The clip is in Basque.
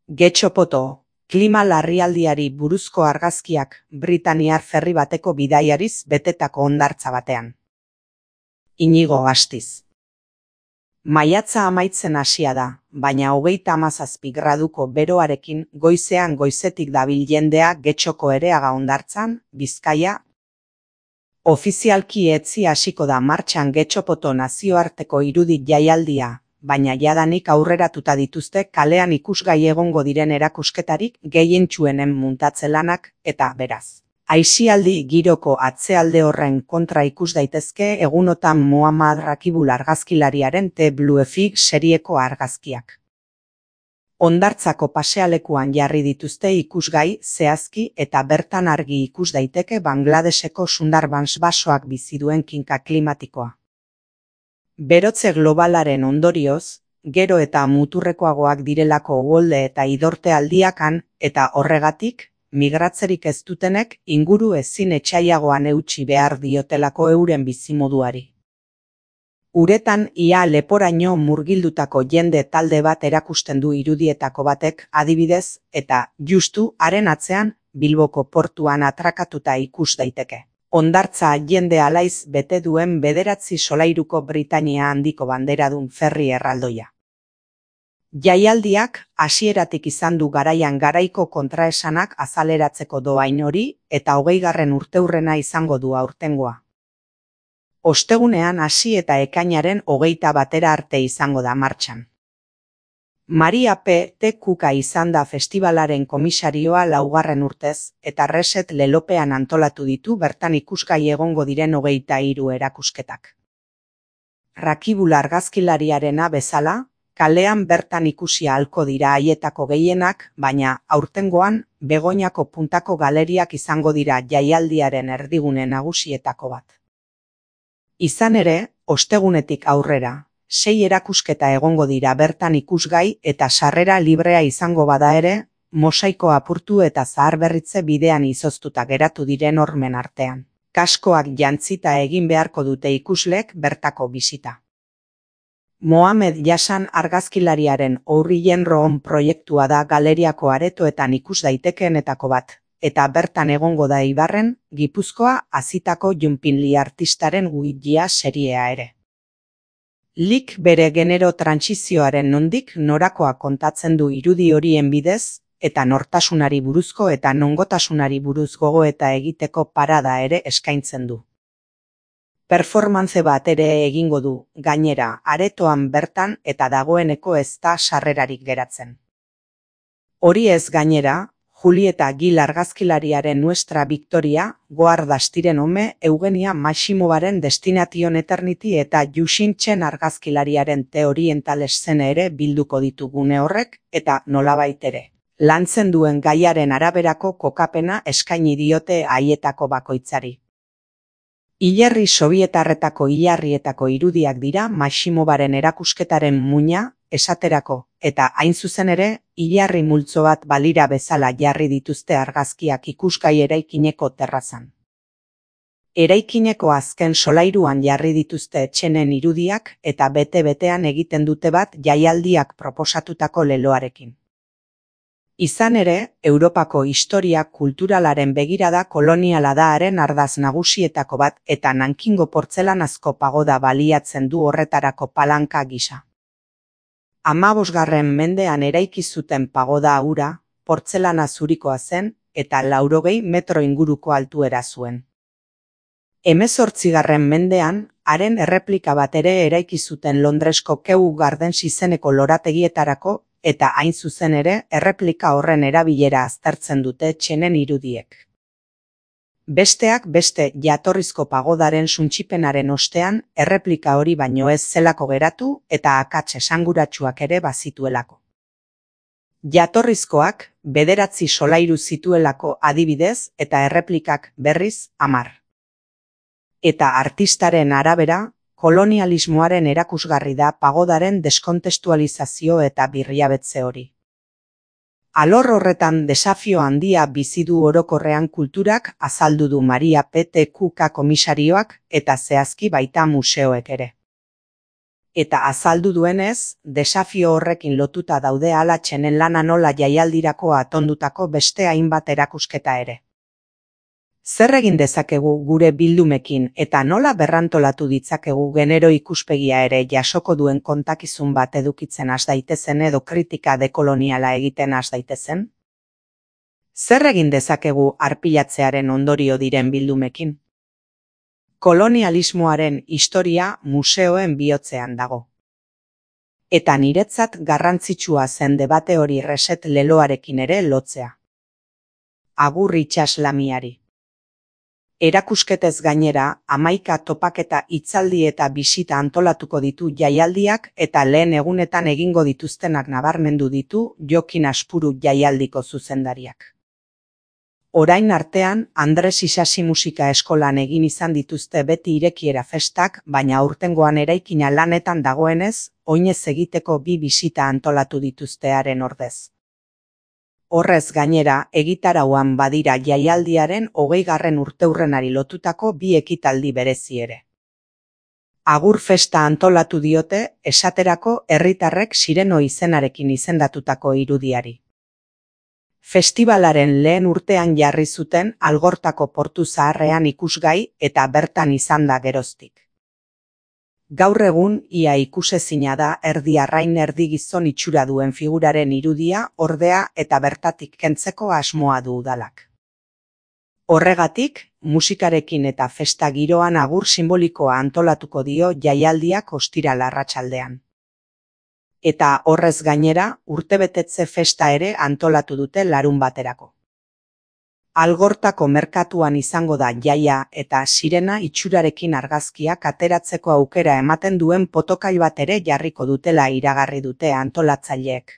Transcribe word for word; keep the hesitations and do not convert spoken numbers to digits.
Getxopoto, klima larrialdiari buruzko argazkiak Britaniar ferri bateko bidaiariz betetako hondartza batean. Inigo Astiz. Maiatza amaitzen hasia da, baina hogeita hamazazpi graduko beroarekin goizean goizetik dabil jendea Getxoko Ereaga hondartzan, Bizkaia. Ofizialki etzi hasiko da martxan Getxopoto nazioarteko irudi jaialdia, baina jadanik aurreratuta dituzte kalean ikusgai egongo diren erakusketarik gehientsuenen muntatze lanak, eta beraz. Aisialdi giroko atzealde horren kontra ikus daitezke egunotan Muhammad Rakibul argazkilariaren The Blue Fig serieko argazkiak. Hondartzako pasealekuan jarri dituzte ikusgai zehazki eta bertan argi ikus daiteke Bangladeseko Sundarbans basoak bizi duen kinka klimatikoa. Berotze globalaren ondorioz, gero eta muturrekoagoak direlako uholde eta idorte aldiakan, eta horregatik, migratzerik ez dutenek inguru ezin etsaiagoan eutsi behar diotelako euren bizimoduari. Uretan ia leporaino murgildutako jende talde bat erakusten du irudietako batek adibidez, eta justu haren atzean Bilboko portuan atrakatuta ikus daiteke. Hondartza jende alaiz bete duen bederatzi solairuko Britania handiko banderadun ferri erraldoia. Jaialdiak hasieratik izan du garaian garaiko kontraesanak azaleratzeko dohain hori eta hogeigarren urteurrena izango du aurtengoa. Ostegunean hasi eta ekainaren hogeita batera arte izango da martxan. Maria P. T. Kuka izan da festivalaren komisarioa laugarren urtez, eta Reset lelopean antolatu ditu bertan ikusgai egongo diren hogeita hiru erakusketak. Rakibul argazkilariarena bezala, kalean bertan ikusi ahalko dira haietako gehienak, baina aurtengoan Begoñako puntako galeriak izango dira jaialdiaren erdigune nagusietako bat. Izan ere, ostegunetik aurrera, sei erakusketa egongo dira bertan ikusgai eta sarrera librea izango bada ere, mosaiko apurtu eta zaharberritze bidean izoztuta geratu diren hormen artean. Kaskoak jantzita egin beharko dute ikuslek bertako bisita. Mohamed Jasan argazkilariaren Ourrien Roon proiektua da galeriako aretoetan ikus daitekeenetako bat, eta bertan egongo da Ibarren, Gipuzkoa hazitako Junpinli artistaren Guillia seriea ere. Lik bere genero trantsizioaren nondik norakoa kontatzen du irudi horien bidez, eta nortasunari buruzko eta nongotasunari buruz gogoeta egiteko parada ere eskaintzen du. Performance bat ere egingo du, gainera, aretoan bertan eta dagoeneko ez da sarrerarik geratzen. Hori ez gainera, Julieta Gil argazkilariaren Nuestra Victoria, Goar Dastiren Ome, Eugenia Maximovaren Destination Eternity eta Yuxin Chen argazkilariaren The Oriental Scene ere bilduko ditu gune horrek, eta nolabait ere. Lantzen duen gaiaren araberako kokapena eskaini diote haietako bakoitzari. Hilerri sobietarretako hilarrietako irudiak dira Maximovaren erakusketaren muina, esaterako, eta hain zuzen ere, hilarri multzo bat balira bezala jarri dituzte argazkiak ikusgai eraikineko terrazan. Eraikineko azken solairuan jarri dituzte etxenen irudiak eta bete-betean egiten dute bat jaialdiak proposatutako leloarekin. Izan ere, Europako historia kulturalaren begirada koloniala da haren ardaz nagusietako bat eta Nankingo portzelanazko pagoda baliatzen du horretarako palanka gisa. Hamabosgarren mendean eraiki zuten pagoda hura, portzelana zurikoa zen eta laurogei metro inguruko altuera zuen. Hemezortzigarren mendean, haren erreplika bat ere eraiki zuten Londresko Kew Gardens izeneko lorategietarako eta hain zuzen ere erreplika horren erabilera aztertzen dute txenen irudiek. Besteak beste jatorrizko pagodaren suntsipenaren ostean erreplika hori baino ez zelako geratu eta akats esanguratsuak ere bazituelako. Jatorrizkoak bederatzi solairu zituelako adibidez eta erreplikak berriz hamar. Eta artistaren arabera, kolonialismoaren erakusgarri da pagodaren deskontestualizazio eta birriabetze hori. Alor horretan desafio handia bizi du orokorrean kulturak azaldu du Maria P. T. Kuka komisarioak eta zehazki baita museoek ere. Eta azaldu duenez, desafio horrekin lotuta daude alatxenen lana nola jaialdirako atondutako beste hainbat erakusketa ere. Zer egin dezakegu gure bildumekin eta nola berrantolatu ditzakegu genero ikuspegia ere jasoko duen kontakizun bat edukitzen has daitezen edo kritika dekoloniala egiten has daitezen? Zer egin dezakegu arpilatzearen ondorio diren bildumekin? Kolonialismoaren historia museoen bihotzean dago. Eta niretzat garrantzitsua zen debate hori Reset leloarekin ere lotzea. Agur itsaslamiari. Erakusketez gainera, hamaika topaketa hitzaldi eta bisita antolatuko ditu jaialdiak eta lehen egunetan egingo dituztenak nabarmendu ditu Jokin Aspuru jaialdiko zuzendariak. Orain artean, Andres Isasi musika eskolan egin izan dituzte beti irekiera festak, baina aurtengoan eraikina lanetan dagoenez, oinez egiteko bi bisita antolatu dituztearen ordez. Horrez gainera, egitarauan badira jaialdiaren hogeigarren urteurrenari lotutako bi ekitaldi berezi ere. Agur festa antolatu diote, esaterako herritarrek Sireno izenarekin izendatutako irudiari. Festibalaren lehen urtean jarri zuten Algortako portu zaharrean ikusgai eta bertan izan da geroztik. Gaur egun, ia ikusezina da erdi arrain erdi gizon itxura duen figuraren irudia, ordea eta bertatik kentzeko asmoa du udalak. Horregatik, musikarekin eta festa giroan agur simbolikoa antolatuko dio jaialdiak ostiral arratsaldean. Eta horrez gainera, urtebetetze festa ere antolatu dute larun baterako. Algortako merkatuan izango da jaia eta Sirena itxurarekin argazkiak ateratzeko aukera ematen duen potokai bat ere jarriko dutela iragarri dute antolatzaileek.